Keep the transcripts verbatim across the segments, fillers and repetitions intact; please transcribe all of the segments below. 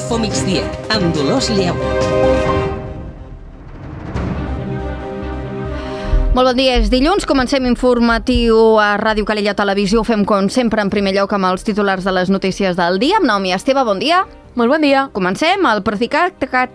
Info Migdia, amb Dolors Lleó. Molt bon dia, és dilluns, comencem informatiu a Ràdio Calella Televisió. Ho fem com sempre en primer lloc amb els titulars de les notícies del dia. Amb Naomi Esteve, bon dia. Molt bon dia. Comencem. El Procicat que ha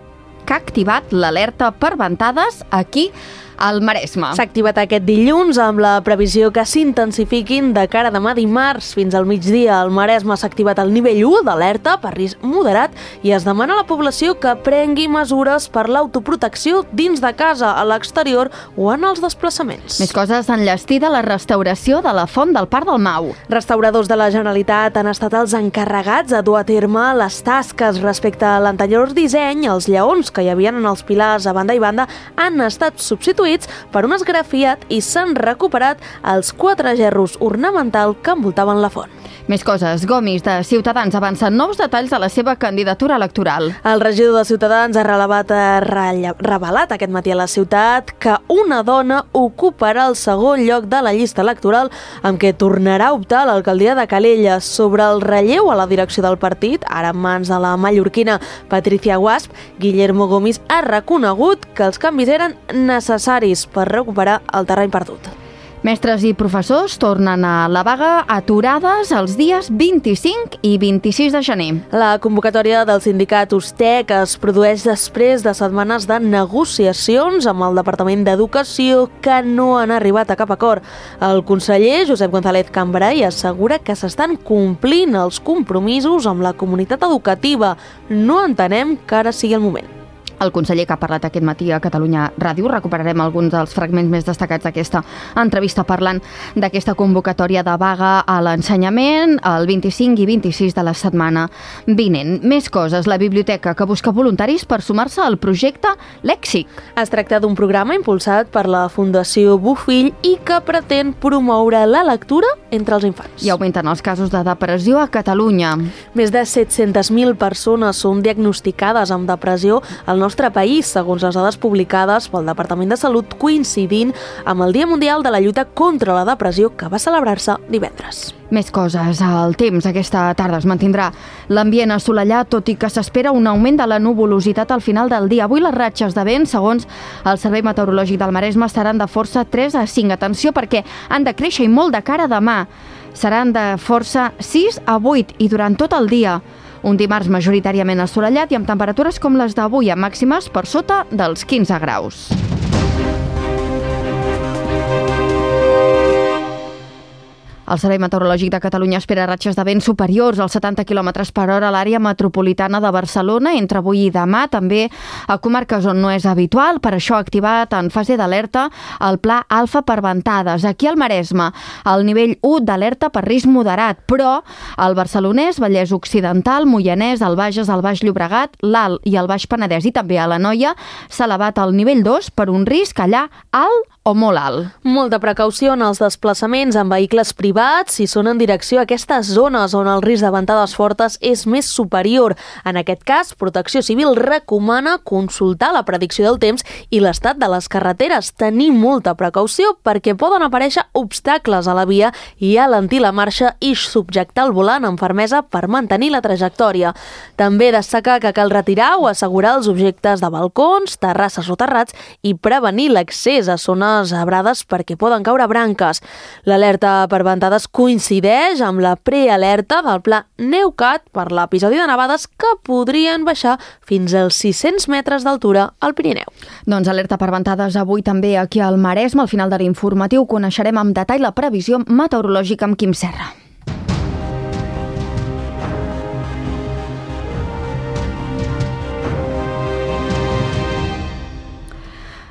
activat l'alerta per ventades aquí al Maresme. S'ha activat aquest dilluns amb la previsió que s'intensifiquin de cara a demà dimarts fins al migdia. Al Maresme s'ha activat el nivell u d'alerta per risc moderat i es demana a la població que prengui mesures per l'autoprotecció dins de casa, a l'exterior o en els desplaçaments. Més coses enllestida la restauració de la font del Parc del Mau. Restauradors de la Generalitat han estat els encarregats de dur a terme les tasques respecte a l'anterior disseny. Els lleons que hi havia en els pilars a banda i banda han estat substituïts per un esgrafiat i s'han recuperat els quatre gerros ornamental que envoltaven la font. Més coses. Gomis de Ciutadans avancen nous detalls de la seva candidatura electoral. El regidor de Ciutadans ha relevat, ha revelat aquest matí a la ciutat que una dona ocuparà el segon lloc de la llista electoral amb què tornarà a optar a l'alcaldia de Calella. Sobre el relleu a la direcció del partit, ara en mans de la mallorquina Patricia Guasp, Guillermo Gomis ha reconegut que els canvis eren necessaris per recuperar el terreny perdut. Mestres i professors tornen a la vaga aturades els dies vint-i-cinc i vint-i-sis de gener. La convocatòria del sindicat Ustec es produeix després de setmanes de negociacions amb el Departament d'Educació que no han arribat a cap acord. El conseller Josep González Cambray assegura que s'estan complint els compromisos amb la comunitat educativa. No entenem que ara sigui el moment. El conseller que ha parlat aquest matí a Catalunya Ràdio, recuperarem alguns dels fragments més destacats d'aquesta entrevista parlant d'aquesta convocatòria de vaga a l'ensenyament el vint-i-cinc i vint-i-sis de la setmana vinent. Més coses. La biblioteca que busca voluntaris per sumar-se al projecte Lèxic. Es tracta d'un programa impulsat per la Fundació Bofill i que pretén promoure la lectura entre els infants. I augmenten els casos de depressió a Catalunya. Més de set-centes mil persones són diagnosticades amb depressió al nostre nostre país, segons les dades publicades pel Departament de Salut, coincidint amb el Dia Mundial de la Lluita contra la Depressió que va celebrar-se divendres. Més coses. El temps aquesta tarda es mantindrà l'ambient assolellat, tot i que s'espera un augment de la nuvolositat al final del dia. Avui les ratxes de vent, segons el Servei Meteorològic del Maresme, seran de força tres a cinc. Atenció, perquè han de créixer i molt de cara a demà. Seran de força sis a vuit i durant tot el dia. Un dimarts majoritàriament assolellat i amb temperatures com les d'avui, amb màximes per sota dels quinze graus. El Servei Meteorològic de Catalunya espera ratxes de vent superiors als setanta quilòmetres per hora a l'àrea metropolitana de Barcelona entre avui i demà, també a comarques on no és habitual. Per això ha activat en fase d'alerta el pla alfa per ventades. Aquí al Maresme, el nivell u d'alerta per risc moderat, però el Barcelonès, Vallès Occidental, Moianès, el Bages, el Baix Llobregat, l'Alt i el Baix Penedès i també a l'Anoia s'ha elevat al nivell dos per un risc allà alt o molt alt. Molta precaució en els desplaçaments en vehicles privats si són en direcció a aquestes zones on el risc de ventades fortes és més superior. En aquest cas, Protecció Civil recomana consultar la predicció del temps i l'estat de les carreteres. Tenir molta precaució perquè poden aparèixer obstacles a la via i alentir la marxa i subjectar el volant amb fermesa per mantenir la trajectòria. També destacar que cal retirar o assegurar els objectes de balcons, terrasses o terrats i prevenir l'accés a zones abrades perquè poden caure branques. L'alerta per ventades coincideix amb la prealerta del pla NEUCAT per l'episodi de nevades que podrien baixar fins als sis-cents metres d'altura al Pirineu. Doncs alerta per ventades avui també aquí al Maresme. Al final de l'informatiu coneixerem amb detall la previsió meteorològica amb Quim Serra.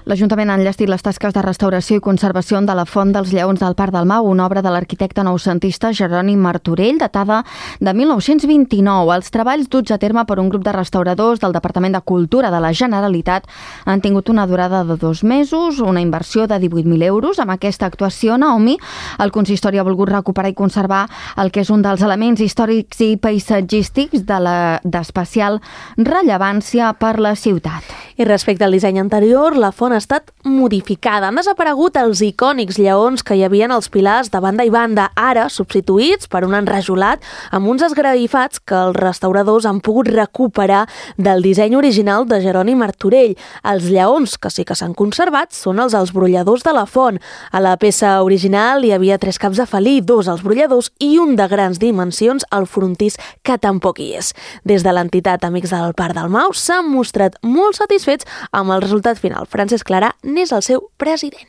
L'Ajuntament ha enllestit les tasques de restauració i conservació de la Font dels Lleons del Parc del Mau, una obra de l'arquitecte noucentista Jeroni Martorell, datada de mil nou-cents vint-i-nou. Els treballs duts a terme per un grup de restauradors del Departament de Cultura de la Generalitat han tingut una durada de dos mesos, una inversió de divuit mil euros. Amb aquesta actuació, Naomi, el consistori ha volgut recuperar i conservar el que és un dels elements històrics i paisatgístics de la d'especial rellevància per la ciutat. I respecte al disseny anterior, la font ha estat modificada. Han desaparegut els icònics lleons que hi havia als pilars de banda i banda, ara substituïts per un enrajolat amb uns esgraifats que els restauradors han pogut recuperar del disseny original de Jeroni Martorell. Els lleons que sí que s'han conservat són els als brolladors de la font. A la peça original hi havia tres caps de felí, dos als brolladors i un de grans dimensions al frontis que tampoc hi és. Des de l'entitat Amics del Parc del Mau s'han mostrat molt satisfets amb el resultat final. Francesc Clarà n'és el seu president.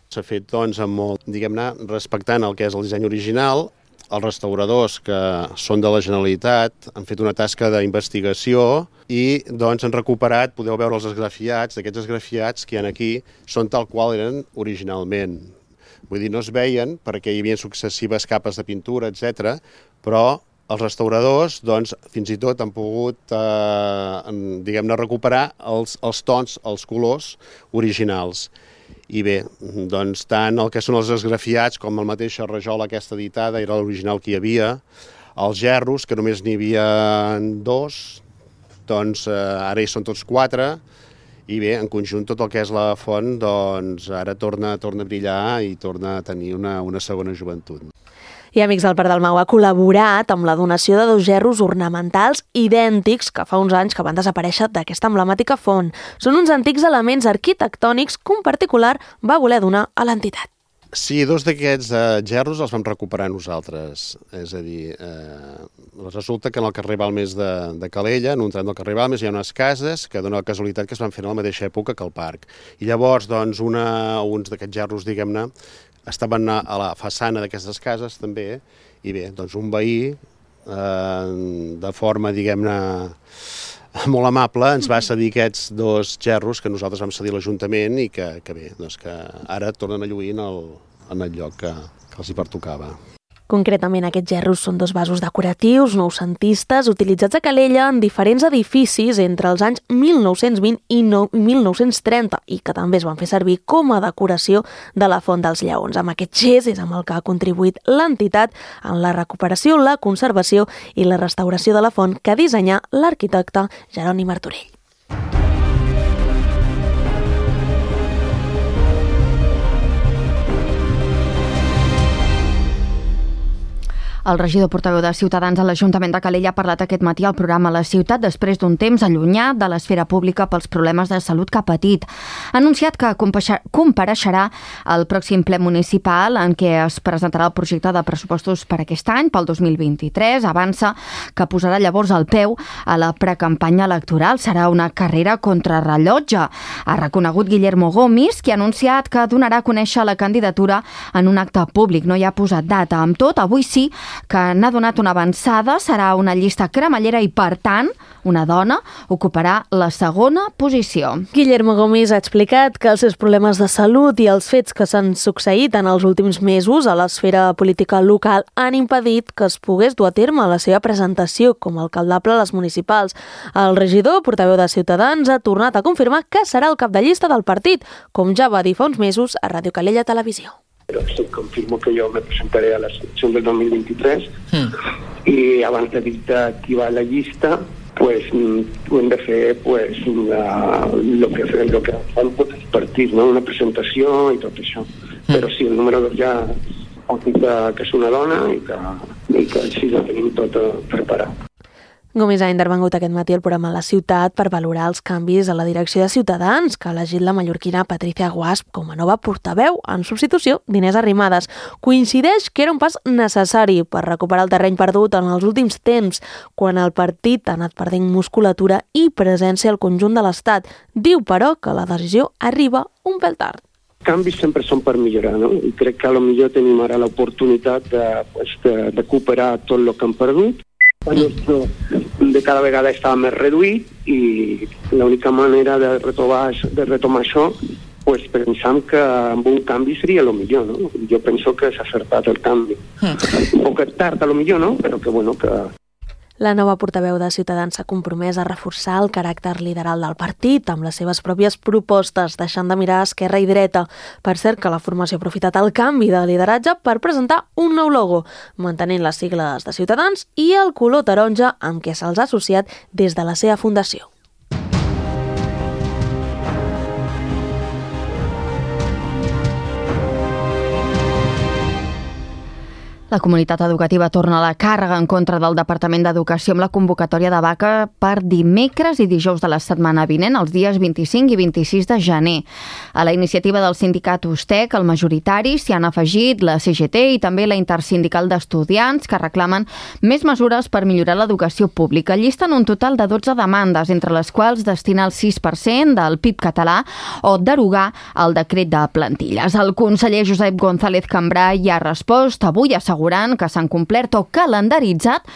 S'ha fet, doncs, amb molt, diguem-ne, respectant el que és el disseny original. Els restauradors, que són de la Generalitat, han fet una tasca d'investigació i, doncs, han recuperat, podeu veure els esgrafiats, aquests esgrafiats que hi ha aquí són tal qual eren originalment. Vull dir, no es veien perquè hi havia successives capes de pintura, etcètera, però els restauradors, doncs, fins i tot han pogut, eh, diguem-ne, recuperar els, els tons, els colors originals. I bé, doncs, tant el que són els esgrafiats com el mateix rajola aquesta editada, era l'original que hi havia, els gerros, que només n'hi havia dos, doncs eh, ara hi són tots quatre, i bé, en conjunt tot el que és la font, doncs, ara torna, torna a brillar i torna a tenir una, una segona joventut. I Amics del Parc del Mau ha col·laborat amb la donació de dos gerros ornamentals idèntics que fa uns anys que van desaparèixer d'aquesta emblemàtica font. Són uns antics elements arquitectònics que un particular va voler donar a l'entitat. Sí, dos d'aquests eh, gerros els vam recuperar nosaltres. És a dir, eh, resulta que en el carrer Balmes de, de Calella, en un tram del carrer Balmes, hi ha unes cases que dona la casualitat que es van fer a la mateixa època que el parc. I llavors, doncs, una, uns d'aquests gerros, diguem-ne, estaven a la façana d'aquestes cases també, i bé, doncs un veí, eh, de forma, diguem-ne, molt amable, ens va cedir aquests dos gerros que nosaltres vam cedir a l'Ajuntament i que, que bé, doncs que ara tornen a lluir en el, en el lloc que, que els hi pertocava. Concretament, aquests gerros són dos vasos decoratius noucentistes utilitzats a Calella en diferents edificis entre els anys mil nou-cents vint i mil nou-cents trenta i que també es van fer servir com a decoració de la Font dels Lleons. Amb aquest gest és amb el que ha contribuït l'entitat en la recuperació, la conservació i la restauració de la font que dissenyà l'arquitecte Jeroni Martorell. El regidor portaveu de Ciutadans a l'Ajuntament de Calella ha parlat aquest matí al programa La Ciutat després d'un temps allunyat de l'esfera pública pels problemes de salut que ha patit. Ha anunciat que compareixerà al pròxim ple municipal en què es presentarà el projecte de pressupostos per aquest any, pel dos mil vint-i-tres. Avança que posarà llavors el peu a la precampanya electoral. Serà una carrera contrarrellotge. Ha reconegut Guillermo Gomis, que ha anunciat que donarà a conèixer la candidatura en un acte públic. No hi ha posat data. Amb tot, avui sí que n'ha donat una avançada, serà una llista cremallera i, per tant, una dona ocuparà la segona posició. Guillermo Gomis ha explicat que els seus problemes de salut i els fets que s'han succeït en els últims mesos a l'esfera política local han impedit que es pogués dur a terme la seva presentació com a alcaldable a les municipals. El regidor, portaveu de Ciutadans, ha tornat a confirmar que serà el cap de llista del partit, com ja va dir fa uns mesos a Ràdio Calella Televisió. Pero sí, confirmo que yo me presentaré a la selección del dos mil veintitrés mm. y abans de dir qui va a la llista, pues ho hem de fer pues, la, lo que, lo que fan tots els partits, no? Una presentació i tot això. Mm. Però sí, el número dos ja ha dit que, que és una dona i que, i que així la tenim tot preparat. Gomis ha intervengut aquest matí al programa La Ciutat per valorar els canvis a la direcció de Ciutadans que ha elegit la mallorquina Patricia Guasp com a nova portaveu en substitució d'Inés Arrimadas. Coincideix que era un pas necessari per recuperar el terreny perdut en els últims temps, quan el partit ha anat perdent musculatura i presència al conjunt de l'Estat. Diu, però, que la decisió arriba un pèl tard. Canvis sempre són per millorar, no? I crec que potser tenim ara l'oportunitat de, pues, de, de recuperar tot el que hem perdut. El nostre de cada vegada estava més reduït i l'única manera de retomar, de retomar això pues, pensam que amb un canvi seria el millor, no? Jo penso que s'ha acertat el canvi. Un poc tard, a lo millor, no? Però que, bueno, que... La nova portaveu de Ciutadans s'ha compromès a reforçar el caràcter lideral del partit amb les seves pròpies propostes, deixant de mirar a esquerra i dreta. Per cert, que la formació ha aprofitat el canvi de lideratge per presentar un nou logo, mantenint les sigles de Ciutadans i el color taronja amb què se'ls ha associat des de la seva fundació. La comunitat educativa torna a la càrrega en contra del Departament d'Educació amb la convocatòria de vaga per dimecres i dijous de la setmana vinent, els dies vint-i-cinc i vint-i-sis de gener. A la iniciativa del sindicat USTEC, el majoritari, s'hi han afegit la C G T i també la Intersindical d'Estudiants, que reclamen més mesures per millorar l'educació pública. Llisten un total de dotze demandes, entre les quals destinar el sis per cent del P I B català o derogar el decret de plantilles. El conseller Josep González Cambray ha respost avui a assegurant que s'han complert o calendaritzat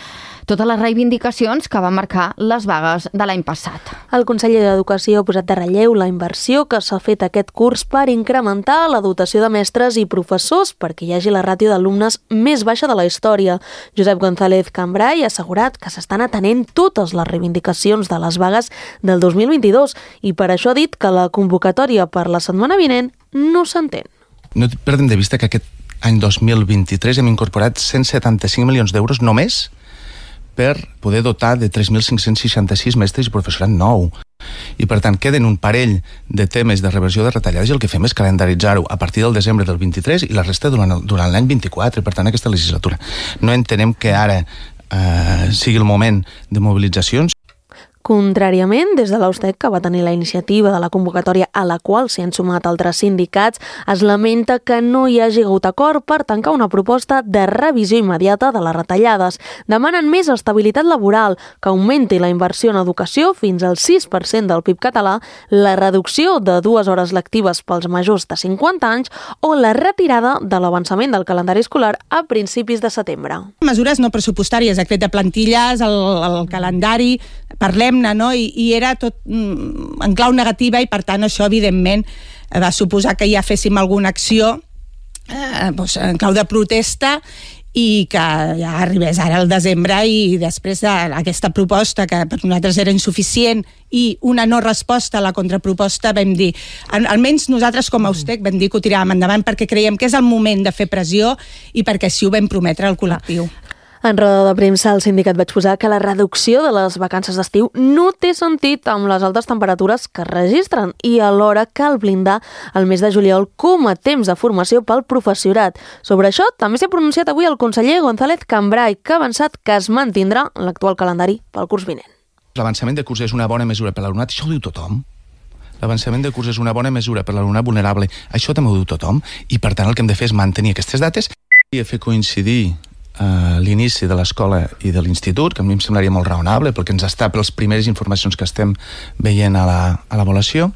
totes les reivindicacions que van marcar les vagues de l'any passat. El conseller d'Educació ha posat de relleu la inversió que s'ha fet aquest curs per incrementar la dotació de mestres i professors perquè hi hagi la ràtio d'alumnes més baixa de la història. Josep González Cambray ha assegurat que s'estan atenent totes les reivindicacions de les vagues del dos mil vint-i-dos i per això ha dit que la convocatòria per la setmana vinent no s'entén. No perdem de vista que aquest any dos mil vint-i-tres hem incorporat cent setanta-cinc milions d'euros només per poder dotar de tres mil cinc-cents seixanta-sis mestres i professorat nou. I per tant queden un parell de temes de reversió de retallades i el que fem és calendaritzar-ho a partir del desembre del vint-i-tres i la resta durant, durant l'any vint-i-quatre, per tant aquesta legislatura. No entenem que ara eh, sigui el moment de mobilitzacions. Contràriament, des de l'USTEC, que va tenir la iniciativa de la convocatòria a la qual s'hi han sumat altres sindicats, es lamenta que no hi hagi hagut acord per tancar una proposta de revisió immediata de les retallades. Demanen més estabilitat laboral, que augmenti la inversió en educació fins al sis per cent del P I B català, la reducció de dues hores lectives pels majors de cinquanta anys o la retirada de l'avançament del calendari escolar a principis de setembre. Mesures no pressupostàries, decret de plantilles, el, el calendari, parlem-ne, no? I, i era tot mm, en clau negativa i per tant això evidentment va suposar que ja féssim alguna acció eh, doncs, en clau de protesta i que ja arribés ara al desembre i després d'aquesta proposta que per nosaltres era insuficient i una no resposta a la contraproposta vam dir, almenys nosaltres com a USTEC vam dir que ho tiràvem endavant perquè creiem que és el moment de fer pressió i perquè així ho vam prometre al col·lectiu. En roda de premsa, el sindicat va exposar que la reducció de les vacances d'estiu no té sentit amb les altes temperatures que es registren i alhora cal blindar el mes de juliol com a temps de formació pel professorat. Sobre això també s'ha pronunciat avui el conseller González Cambray, que ha avançat que es mantindrà l'actual calendari pel curs vinent. L'avançament de curs és una bona mesura per l'alumnat, això ho diu tothom. L'avançament de curs és una bona mesura per l'alumnat vulnerable, això també ho diu tothom, i per tant el que hem de fer és mantenir aquestes dates i fer coincidir Uh, l'inici de l'escola i de l'institut, que a mi em semblaria molt raonable pel que ens està, per les primeres informacions que estem veient a la, a l'avaluació.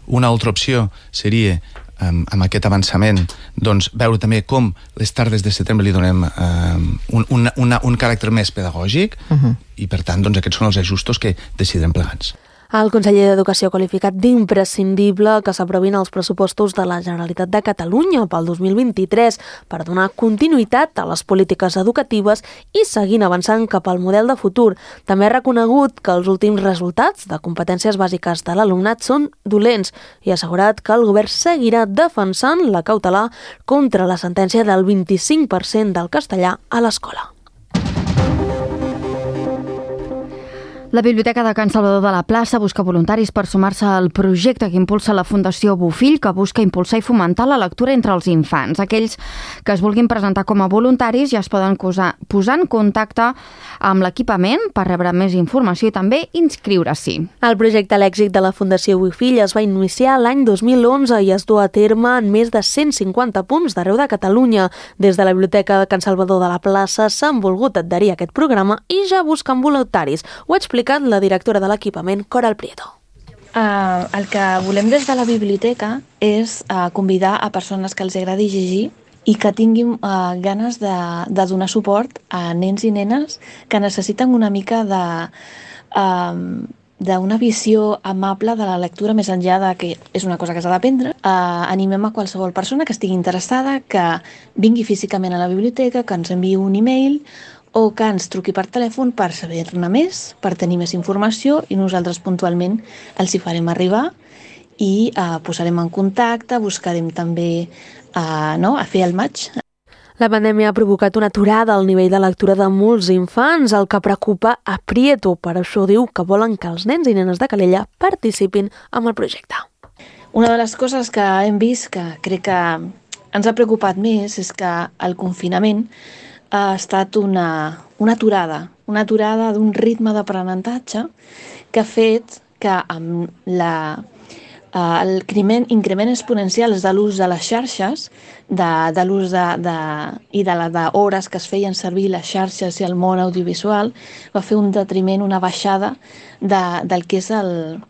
Una altra opció seria um, amb aquest avançament doncs, veure també com les tardes de setembre li donem um, un, un, una, un caràcter més pedagògic uh-huh. i per tant doncs, aquests són els ajustos que decidirem plegats. El conseller d'Educació ha qualificat d'imprescindible que s'aprovin els pressupostos de la Generalitat de Catalunya pel dos mil vint-i-tres per donar continuïtat a les polítiques educatives i seguint avançant cap al model de futur. També ha reconegut que els últims resultats de competències bàsiques de l'alumnat són dolents i ha assegurat que el govern seguirà defensant la cautelar contra la sentència del vint-i-cinc per cent del castellà a l'escola. La Biblioteca de Can Salvador de la Plaça busca voluntaris per sumar-se al projecte que impulsa la Fundació Bofill, que busca impulsar i fomentar la lectura entre els infants. Aquells que es vulguin presentar com a voluntaris ja es poden posar en contacte amb l'equipament per rebre més informació i també inscriure-s'hi. El projecte Lèxic de la Fundació Bofill es va iniciar l'any dos mil onze i es du a terme en més de cent cinquanta punts d'arreu de Catalunya. Des de la Biblioteca de Can Salvador de la Plaça s'han volgut adherir a aquest programa i ja busquen voluntaris. Ho ha explicat la directora de l'equipament, Coral Prieto. Uh, el que volem des de la biblioteca és uh, convidar a persones que els agradi llegir i que tinguin uh, ganes de, de donar suport a nens i nenes que necessiten una mica de... Uh, d'una visió amable de la lectura més enllà de que és una cosa que s'ha d'aprendre. Uh, animem a qualsevol persona que estigui interessada, que vingui físicament a la biblioteca, que ens enviï un e-mail o que ens truqui per telèfon per saber-ne més, per tenir més informació i nosaltres puntualment els hi farem arribar i uh, posarem en contacte, buscarem també uh, no, a fer el match. La pandèmia ha provocat una aturada al nivell de lectura de molts infants, el que preocupa a Prieto. Per això diu que volen que els nens i nenes de Calella participin en el projecte. Una de les coses que hem vist, que crec que ens ha preocupat més és que el confinament ha estat una, una aturada, una aturada d'un ritme d'aprenentatge que ha fet que amb la, el increment exponencial de l'ús de les xarxes, de, de l'ús de, de, i de les hores que es feien servir les xarxes i el món audiovisual, va fer un detriment, una baixada de, del que és el,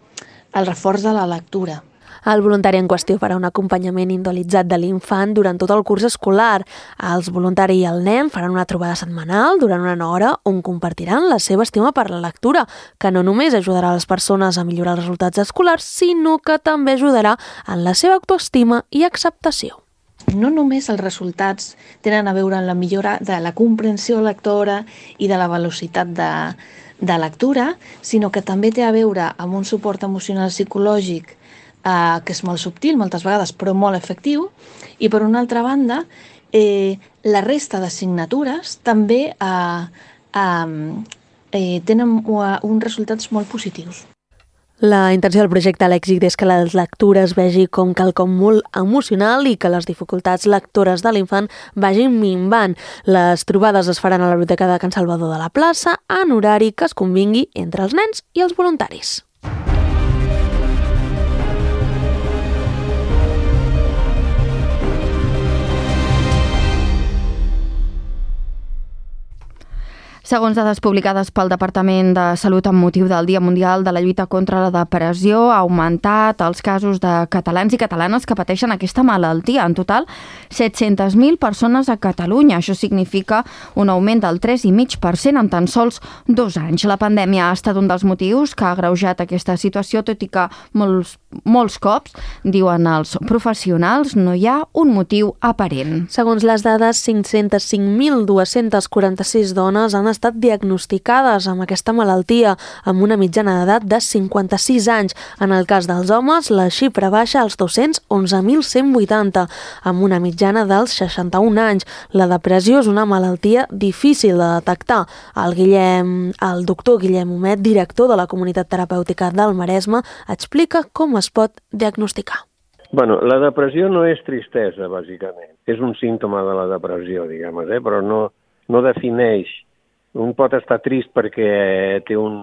el reforç de la lectura. El voluntari en qüestió farà un acompanyament individualitzat de l'infant durant tot el curs escolar. Els voluntari i el nen faran una trobada setmanal durant una hora on compartiran la seva estima per la lectura, que no només ajudarà les persones a millorar els resultats escolars, sinó que també ajudarà en la seva autoestima i acceptació. No només els resultats tenen a veure amb la millora de la comprensió lectora i de la velocitat de, de lectura, sinó que també té a veure amb un suport emocional psicològic Uh, que és molt subtil moltes vegades però molt efectiu, i per una altra banda eh, la resta d'assignatures també uh, uh, eh, tenen uh, uns resultats molt positius. La intenció del projecte Lèxic és que la lectura es vegi com quelcom molt emocional i que les dificultats lectores de l'infant vagin minvant. Les trobades es faran a la Biblioteca de Can Salvador de la Plaça en horari que es convingui entre els nens i els voluntaris. Segons dades publicades pel Departament de Salut amb motiu del Dia Mundial de la Lluita contra la Depressió, ha augmentat els casos de catalans i catalanes que pateixen aquesta malaltia. En total, set-centes mil persones a Catalunya. Això significa un augment del tres coma cinc per cent en tan sols dos anys. La pandèmia ha estat un dels motius que ha agreujat aquesta situació, tot i que molts, molts cops, diuen els professionals, no hi ha un motiu aparent. Segons les dades, cinc-cents cinc mil dues-centes quaranta-sis dones han estat diagnosticades amb aquesta malaltia, amb una mitjana d'edat de cinquanta-sis anys. En el cas dels homes, la xifra baixa als dos-cents onze mil cent vuitanta, amb una mitjana dels seixanta-un anys. La depressió és una malaltia difícil de detectar. El, Guillem, el doctor Guillem Homet, director de la Comunitat Terapèutica del Maresme, explica com es pot diagnosticar. Bueno, la depressió no és tristesa, bàsicament. És un símptoma de la depressió, diguem, eh? Però no, no defineix. Un pot estar trist perquè té un,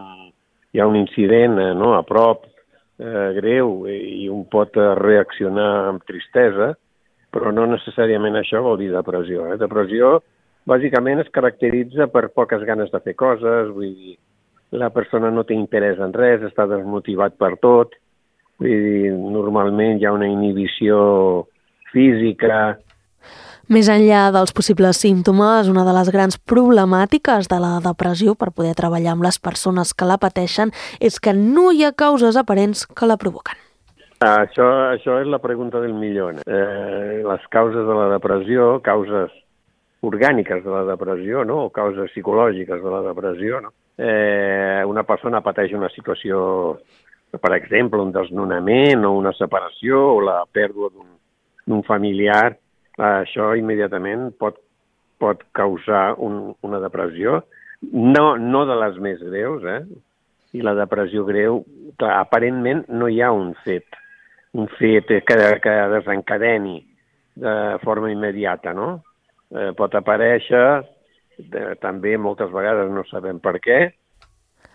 hi ha un incident eh, no, a prop eh, greu i un pot reaccionar amb tristesa, però no necessàriament això vol dir depressió. Eh? Depressió bàsicament es caracteritza per poques ganes de fer coses, vull dir, la persona no té interès en res, està desmotivat per tot, vull dir, normalment hi ha una inhibició física. Més enllà dels possibles símptomes, una de les grans problemàtiques de la depressió per poder treballar amb les persones que la pateixen és que no hi ha causes aparents que la provoquen. Això, això és la pregunta del milió. Eh, les causes de la depressió, causes orgàniques de la depressió, no? O causes psicològiques de la depressió, no? Eh, una persona pateix una situació, per exemple, un desnonament o una separació o la pèrdua d'un familiar, això immediatament pot, pot causar un, una depressió, no, no de les més greus, eh? I la depressió greu, clar, aparentment no hi ha un fet, un fet que, que desencadeni de forma immediata, no? Eh, pot aparèixer, eh, també moltes vegades no sabem per què.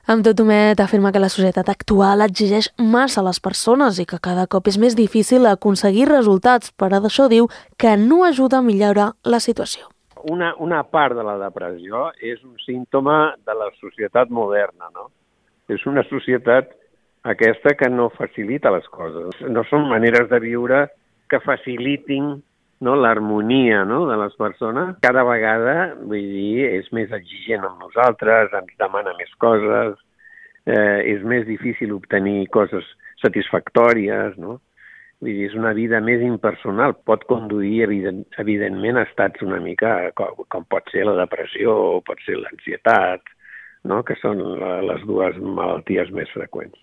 Amb tot, Homet afirma que la societat actual exigeix massa a les persones i que cada cop és més difícil aconseguir resultats, però d'això diu que no ajuda a millorar la situació. Una, una part de la depressió és un símptoma de la societat moderna, no? És una societat aquesta que no facilita les coses. No són maneres de viure que facilitin, no, l'harmonia, no, de les persones. Cada vegada, vull dir, és més exigent amb nosaltres, ens demana més coses, eh, és més difícil obtenir coses satisfactòries, no? Vull dir, és una vida més impersonal. Pot conduir, evident, evidentment, a estats una mica com, com pot ser la depressió o pot ser l'ansietat, no? Que són les dues malalties més freqüents.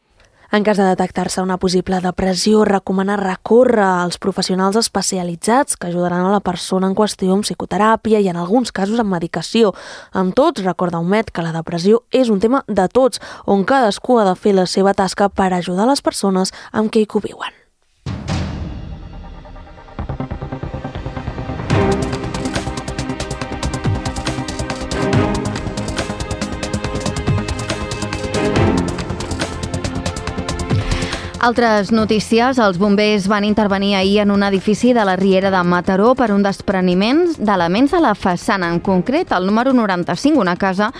En cas de detectar-se una possible depressió, recomana recórrer als professionals especialitzats que ajudaran a la persona en qüestió amb psicoteràpia i en alguns casos amb medicació. Amb tots, recorda Homet que la depressió és un tema de tots, on cadascú ha de fer la seva tasca per ajudar les persones amb què hi conviuen. Altres notícies. Els bombers van intervenir ahir en un edifici de la Riera de Mataró per un despreniment d'elements de la façana. En concret, el número noranta-cinc, una casa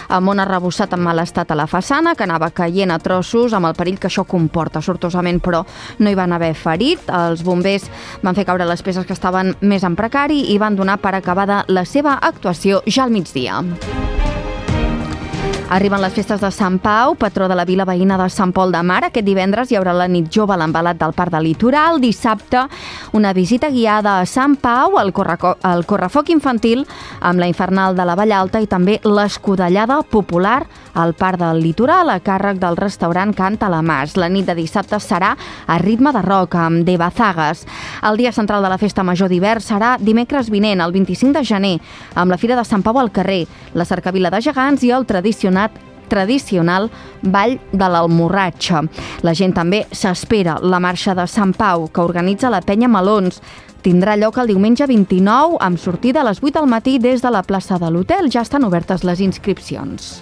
amb un arrebossat en mal estat a la façana, que anava caient a trossos amb el perill que això comporta. Sortosament, però, no hi van haver ferit. Els bombers van fer caure les peces que estaven més en precari i van donar per acabada la seva actuació ja al migdia. Arriben les festes de Sant Pau, patró de la vila veïna de Sant Pol de Mar. Aquest divendres hi haurà la nit jove a l'embalat del Parc del Litoral. Dissabte, una visita guiada a Sant Pau, el, correco- el correfoc infantil amb la infernal de la Vallalta i també l'escudellada popular al Parc del Litoral a càrrec del restaurant Canta la Mas. La nit de dissabte serà a ritme de rock amb De Bazagas. El dia central de la festa major d'hivern serà dimecres vinent, el vint-i-cinc de gener, amb la Fira de Sant Pau al carrer, la cercavila de gegants i el tradicional tradicional Ball de l'Almorratxa. La gent també s'espera la marxa de Sant Pau, que organitza la Penya Melons. Tindrà lloc el diumenge vint-i-nou amb sortida a les vuit del matí des de la plaça de l'hotel. Ja estan obertes les inscripcions.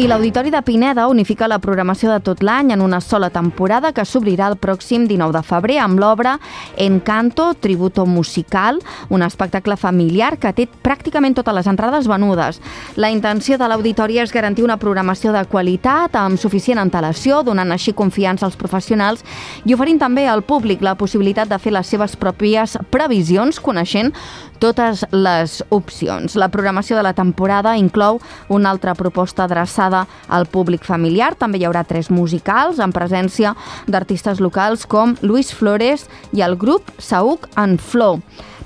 I l'Auditori de Pineda unifica la programació de tot l'any en una sola temporada que s'obrirà el pròxim dinou de febrer amb l'obra Encanto, Tributo Musical, un espectacle familiar que té pràcticament totes les entrades venudes. La intenció de l'Auditori és garantir una programació de qualitat amb suficient antelació, donant així confiança als professionals i oferint també al públic la possibilitat de fer les seves pròpies previsions, coneixent totes les opcions. La programació de la temporada inclou una altra proposta adreçada al públic familiar. També hi haurà tres musicals amb presència d'artistes locals com Luis Flores i el grup Saúc and Flow.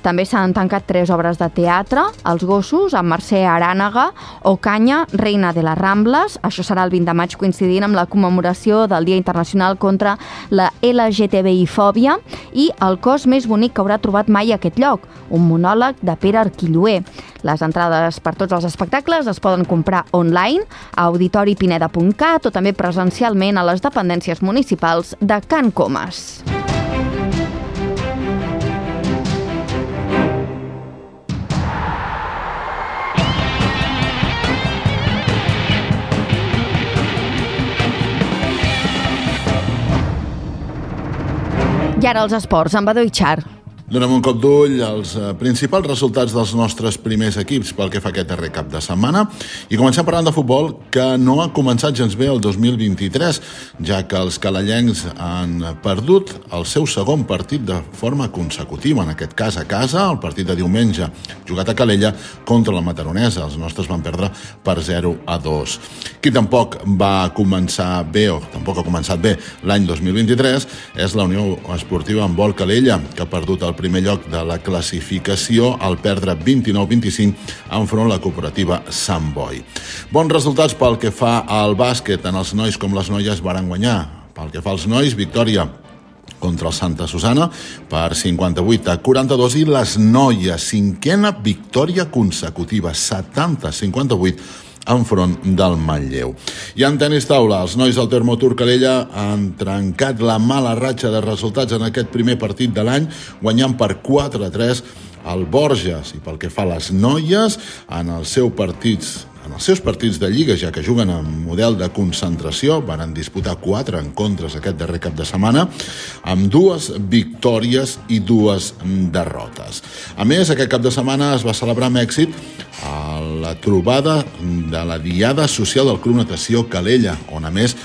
També s'han tancat tres obres de teatre, Els gossos, amb Mercè Arànega, Ocaña, Reina de les Rambles. Això serà el vint de maig, coincidint amb la commemoració del Dia Internacional contra la L G T B I-fòbia, i El cos més bonic que haurà trobat mai aquest lloc, un monòleg de Pere Arquilloé. Les entrades per tots els espectacles es poden comprar online a auditori pineda punt cat o també presencialment a les dependències municipals de Can Comas. I ara els esports, amb Badó Itxar. Donem un cop d'ull als principals resultats dels nostres primers equips pel que fa aquest darrer cap de setmana i comencem parlant de futbol, que no ha començat gens bé el dos mil vint-i-tres, ja que els calellencs han perdut el seu segon partit de forma consecutiva, en aquest cas a casa, el partit de diumenge jugat a Calella contra la Mataronesa. Els nostres van perdre per zero a dos. Qui tampoc va començar bé, o tampoc ha començat bé l'any dos mil vint-i-tres, és la Unió Esportiva Handbol Calella, que ha perdut el primer lloc de la classificació al perdre vint-i-nou a vint-i-cinc enfront la cooperativa Sant Boi. Bons resultats pel que fa al bàsquet, tant els nois com les noies varen guanyar. Pel que fa als nois, victòria contra el Santa Susana per cinquanta-vuit a quaranta-dos i les noies, cinquena victòria consecutiva, setanta a cinquanta-vuit enfront del Manlleu. I en tenis taula, els nois del Termotur Calella han trencat la mala ratxa de resultats en aquest primer partit de l'any, guanyant per quatre a tres al Borges. I pel que fa a les noies, en els seus partits En els seus partits de Lliga, ja que juguen en model de concentració, van disputar quatre encontres aquest darrer cap de setmana, amb dues victòries i dues derrotes. A més, aquest cap de setmana es va celebrar amb èxit a la trobada de la Diada Social del Club Natació Calella, on a més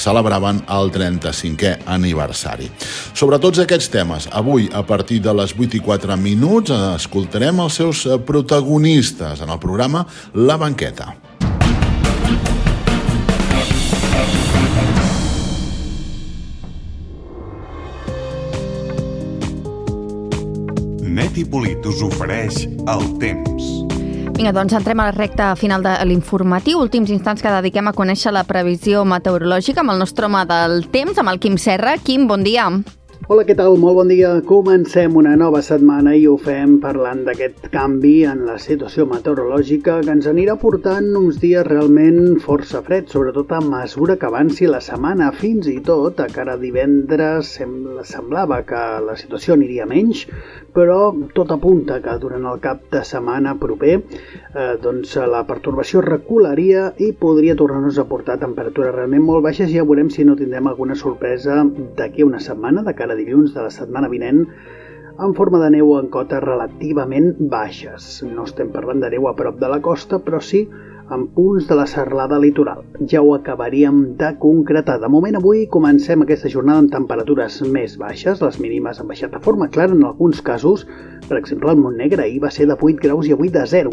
celebraven el trenta-cinquè aniversari. Sobre tots aquests temes, avui, a partir de les vuit i quatre minuts, escoltarem els seus protagonistes en el programa La Banqueta. Net i Polit us ofereix el temps. Vinga, doncs entrem a la recta final de l'informatiu. Últims instants que dediquem a conèixer la previsió meteorològica amb el nostre home del temps, amb el Quim Serra. Quim, bon dia. Hola, què tal? Molt bon dia. Comencem una nova setmana i ho fem parlant d'aquest canvi en la situació meteorològica que ens anirà portant uns dies realment força freds, sobretot a mesura que avanci la setmana. Fins i tot, a cara divendres, semblava que la situació aniria menys, però tot apunta que durant el cap de setmana proper eh, doncs la pertorbació recularia i podria tornar-nos a portar temperatures realment molt baixes. Ja veurem si no tindrem alguna sorpresa d'aquí a una setmana, de cara a dilluns de la setmana vinent, en forma de neu en cotes relativament baixes. No estem parlant de neu a prop de la costa, però sí en punts de la serralada litoral. Ja ho acabaríem de concretar. De moment, avui comencem aquesta jornada amb temperatures més baixes. Les mínimes han baixat de forma clara en alguns casos. Per exemple, el Montnegre ahir va ser de vuit graus i avui de zero.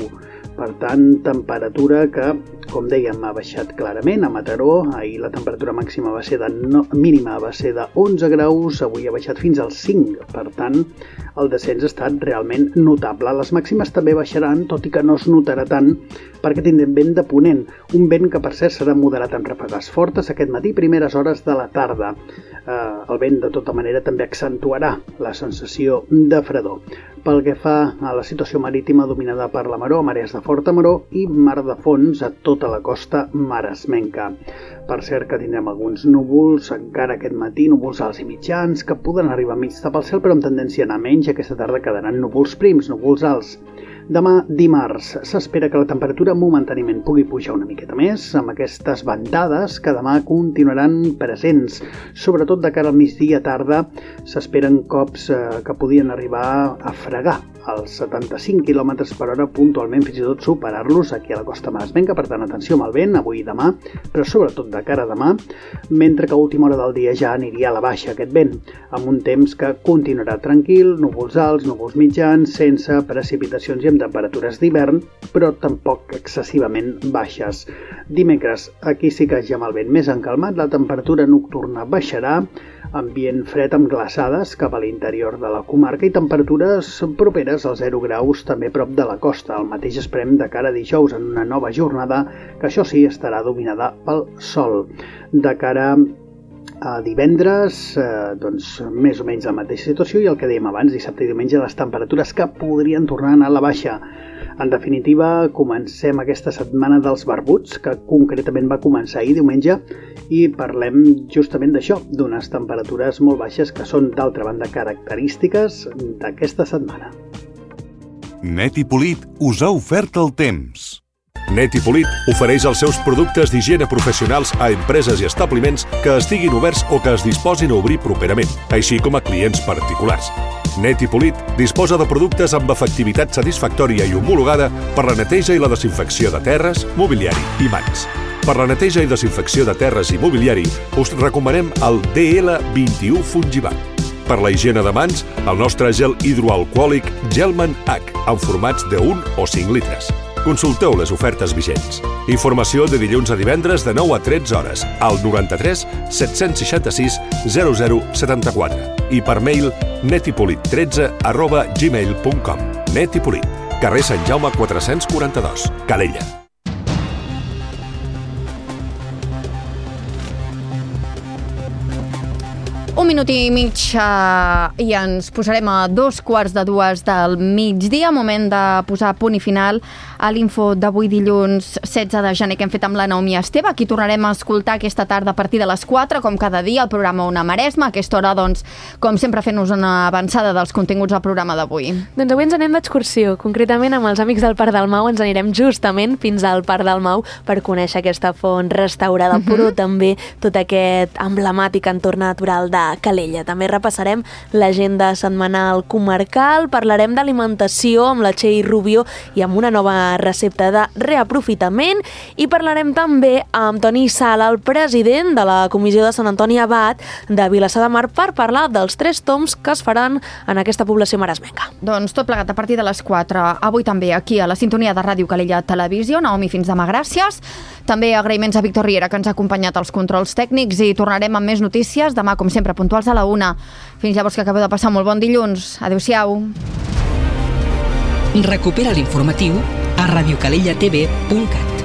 Per tant, temperatura que, com dèiem, ha baixat clarament. A Mataró, ahir la temperatura màxima va ser de no, mínima va ser de onze graus, avui ha baixat fins als cinc. Per tant, el descens ha estat realment notable. Les màximes també baixaran, tot i que no es notarà tant, perquè tindrem vent de ponent. Un vent que, per cert, serà moderat amb ràfegues fortes aquest matí, primeres hores de la tarda. Eh, el vent, de tota manera, també accentuarà la sensació de fredor. Pel que fa a la situació marítima dominada per la maró, marees de forta maró i mar de fons a tota la costa maresmenca. Per cert que tindrem alguns núvols encara aquest matí, núvols alts i mitjans, que poden arribar a mig tapar el cel, però amb tendència a anar menys. Aquesta tarda quedaran núvols prims, núvols alts. Demà, dimarts, s'espera que la temperatura momentàniament pugui pujar una miqueta més, amb aquestes ventades que demà continuaran presents. Sobretot de cara al migdia tarda s'esperen cops eh, que podien arribar a fregar als setanta-cinc quilòmetres per hora, puntualment fins i tot superar-los aquí a la costa maresmenca. Per tant, atenció amb el vent avui i demà, però sobretot de cara a demà, mentre que a última hora del dia ja aniria a la baixa aquest vent, amb un temps que continuarà tranquil, núvols alts, núvols mitjans, sense precipitacions i amb temperatures d'hivern, però tampoc excessivament baixes. Dimecres, aquí sí que ja amb el vent més encalmat, la temperatura nocturna baixarà, ambient fred amb glaçades cap a l'interior de la comarca i temperatures properes als zero graus també prop de la costa. El mateix esperem de cara a dijous en una nova jornada que això sí estarà dominada pel sol. De cara a divendres, eh, doncs més o menys la mateixa situació i el que dèiem abans, dissabte i diumenge, les temperatures que podrien tornar a anar a la baixa. En definitiva, comencem aquesta setmana dels barbuts, que concretament va començar ahir diumenge, i parlem justament d'això, d'unes temperatures molt baixes que són, d'altra banda, característiques d'aquesta setmana. Net i Polit us ha ofert el temps. Net i Polit ofereix els seus productes d'higiene professionals a empreses i establiments que estiguin oberts o que es disposin a obrir properament, així com a clients particulars. Net i Polit disposa de productes amb efectivitat satisfactòria i homologada per la neteja i la desinfecció de terres, mobiliari i mans. Per la neteja i desinfecció de terres i mobiliari us recomanem el D L vint-i-u Fungivac. Per la higiene de mans, el nostre gel hidroalcohòlic Gelman H, en formats de un o cinc litres. Consulteu les ofertes vigents. Informació de dilluns a divendres de nou a tretze hores al noranta-tres set-cents seixanta-sis zero zero setanta-quatre i per mail netipolit tretze arroba gmail punt com. Net i Polit, carrer Sant Jaume quatre-cents quaranta-dos, Calella. Un minut i mig uh, i ens posarem a dos quarts de dues del migdia, moment de posar punt i final a l'info d'avui dilluns setze de gener que hem fet amb la Naomi Esteve. Aquí tornarem a escoltar aquesta tarda a partir de les quatre, com cada dia, el programa Ona Maresma. A aquesta hora, doncs, com sempre, fent-nos una avançada dels continguts del programa d'avui. Doncs avui ens anem d'excursió. Concretament, amb els amics del Parc del Mau ens anirem justament fins al Parc del Mau per conèixer aquesta font restaurada, uh-huh. però també tot aquest emblemàtic entorn natural de Calella. També repassarem l'agenda setmanal comarcal, parlarem d'alimentació amb la Txell Rubio i amb una nova recepta de reaprofitament i parlarem també amb Toni Sala, el president de la Comissió de Sant Antoni Abat de Vilassar de Mar, per parlar dels tres tombs que es faran en aquesta població maresmenca. Doncs tot plegat a partir de les quatre. Avui també aquí a la sintonia de Ràdio Calella Televisió. Naomi, fins demà, gràcies. També agraïments a Víctor Riera, que ens ha acompanyat als controls tècnics, i tornarem amb més notícies demà, com sempre, puntuals a la una. Fins llavors, que acabeu de passar molt bon dilluns. Adéu-siau. Recupera l'informatiu a radiocalellatv punt cat.